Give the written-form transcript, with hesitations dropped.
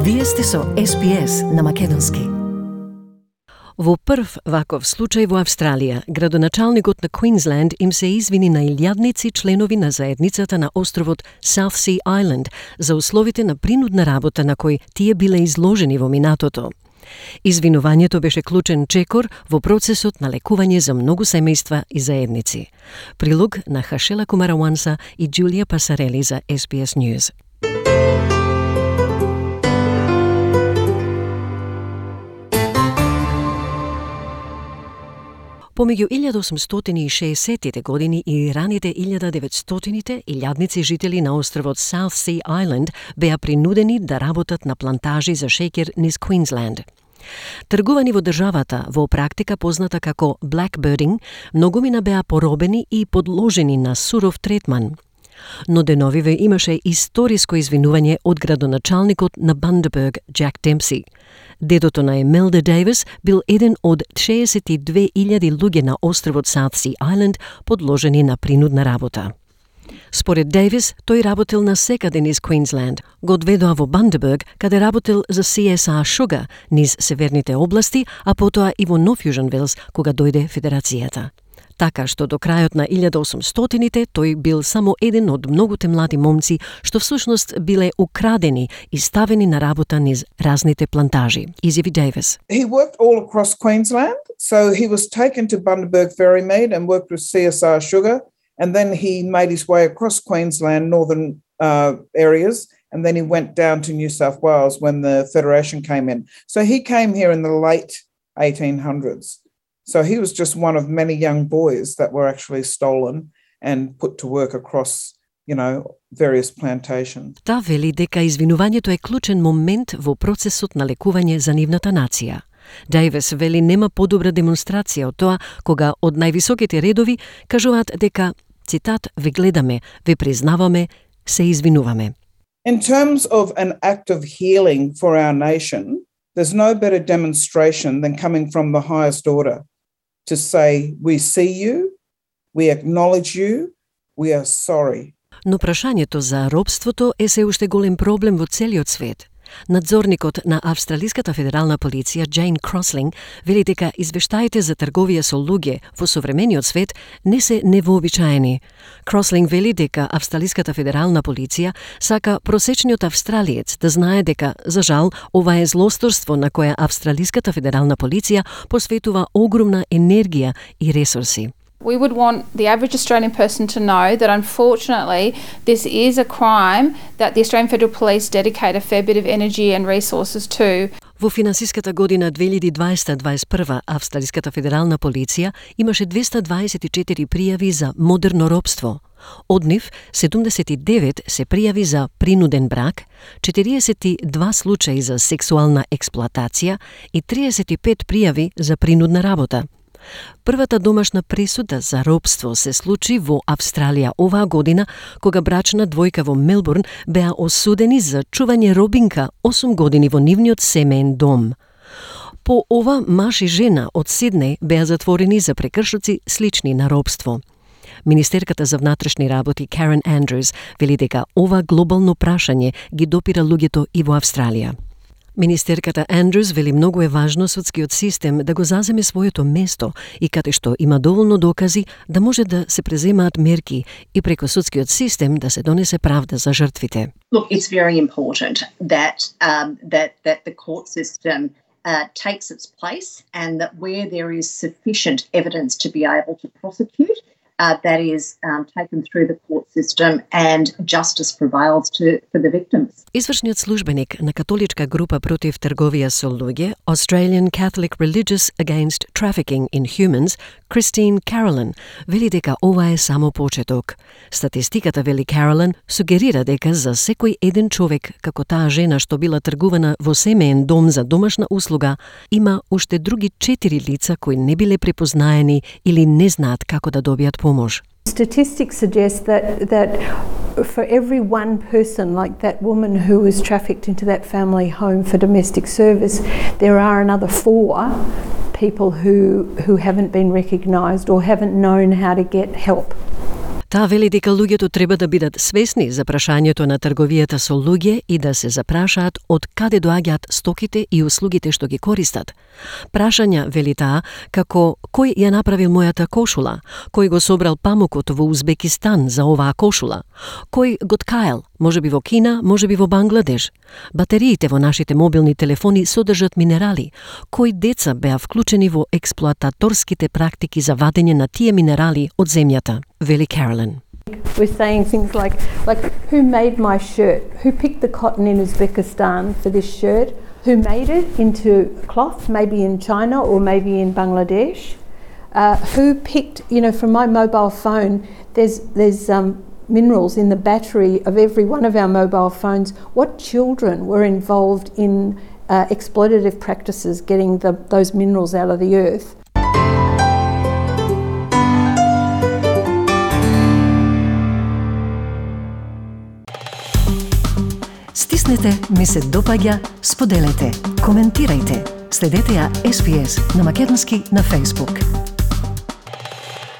Вие сте со SPS на македонски. Во прв ваков случај во Австралија, градоначалникот на Квинсленд им се извини на илјадници членови на заедницата на островот South Sea Island за условите на принудна работа на кои тие биле изложени во минатото. Извинувањето беше клучен чекор во процесот на лекување за многу семејства и заедници. Прилог на Хашела Кумараванса и Джулија Пасарели за SBS News. Помеѓу 1860-тите години и раните 1900-тите, илјадници жители на островот South Sea Island беа принудени да работат на плантажи за шеќер низ Квинсленд. Тргувани во државата, во практика позната како blackbirding, многумина беа поробени и подложени на суров третман. Но деновиве имаше историско извинување од градоначалникот на Bundaberg, Jack Dempsey. Дедото на Емелда Дейвис бил еден од 62.000 луѓе на островот South Sea Island подложени на принудна работа. Според Дейвис, тој работел на секаде низ Квинсленд. Го одведоа во Bundaberg, каде работел за CSR Sugar низ северните области, а потоа и во North Fusion Wells, кога дојде Федерацијата. Така што до крајот на 1800-тите тој бил само еден од многуте млади момци што всушност биле украдени и ставени на работа низ разните плантажи. Изјави Дейвис. He worked all across Queensland, so he was taken to Bundaberg Ferrymead and worked with CSR Sugar, and then he made his way across Queensland, northern areas, and then he went down to New South Wales when the Federation came in. So he came here in the late 1800s. So he was just one of many young boys that were actually stolen and put to work across, various plantations. Та вели дека извинувањето е клучен момент во процесот на лекување за нивната нација. Дейвис вели нема подобра демонстрација од тоа кога од највисоките редови кажуваат дека, цитат, ве гледаме, ве признаваме, се извинуваме. In terms of an act of healing for our nation, there's no better demonstration than coming from the highest order to say, we see you, we acknowledge you, we are sorry. Но прашањето за робството е се уште голем проблем во целиот свет. Надзорникот на Австралиската федерална полиција Джейн Крослинг вели дека извештаите за трговија со луѓе во современиот свет не се невообичаени. Крослинг вели дека Австралиската федерална полиција сака просечниот австралиец да знае дека, за жал, ова е злосторство на кое Австралиската федерална полиција посветува огромна енергија и ресурси. We would want the average Australian person to know that unfortunately this is a crime that the Australian Federal Police dedicate a fair bit of energy and resources to. Во финансиската година 2020-2021 Австралиската федерална полиција имаше 224 пријави за модерно робство. Од нив 79 се пријави за принуден брак, 42 случаи за сексуална експлоатација и 35 пријави за принудна работа. Првата домашна пресуда за робство се случи во Австралија оваа година, кога брачна двојка во Мелбурн беа осудени за чување робинка 8 години во нивниот семеен дом. По ова, маж и жена од Сиднеј беа затворени за прекршоци слични на робство. Министерката за внатрешни работи Карен Андрюс вели дека ова глобално прашање ги допира луѓето и во Австралија. Министерката Андрюс вели многу е важно судскиот систем да го заземе своето место и каде што има доволно докази да може да се преземаат мерки и преку судскиот систем да се донесе правда за жртвите. Look, it's very important that the court system takes its place and that where there is sufficient evidence to be able to prosecute, that is taken through the court system and justice prevails for the victims. Извршниот службеник на католичка група против трговија со луѓе, Australian Catholic Religious Against Trafficking in Humans, Christine Carolyn, вели дека ова е само почеток. Статистиката, вели Carolyn, сугерира дека за секој еден човек, како таа жена што била тргувана во семеен дом за домашна услуга, има уште други 4 лица кои не биле препознаени или не знаат како да добијат помош. Statistics suggest that for every one person, like that woman who was trafficked into that family home for domestic service, there are another 4 people who haven't been recognised or haven't known how to get help. Таа вели дека луѓето треба да бидат свесни за прашањето на трговијата со луѓе и да се запрашаат од каде доаѓаат стоките и услугите што ги користат. Прашања, вели таа, како кој ја направил мојата кошула, кој го собрал памукот во Узбекистан за оваа кошула, кој го ткаел, можеби во Кина, можеби во Бангладеш. Батериите во нашите мобилни телефони содржат минерали, кои деца беа вклучени во експлоататорските практики за вадење на тие минерали од земјата, вели Carolyn. We're saying things like who made my shirt? Who picked the cotton in Uzbekistan for this shirt? Who made it into cloth, maybe in China or maybe in Bangladesh? Who picked, from my mobile phone, there's minerals in the battery of every one of our mobile phones. What children were involved in exploitative practices getting those minerals out of the earth? Стиснете, ми се допаѓа, споделете, коментирајте. Следете ја SPS на македонски на Facebook.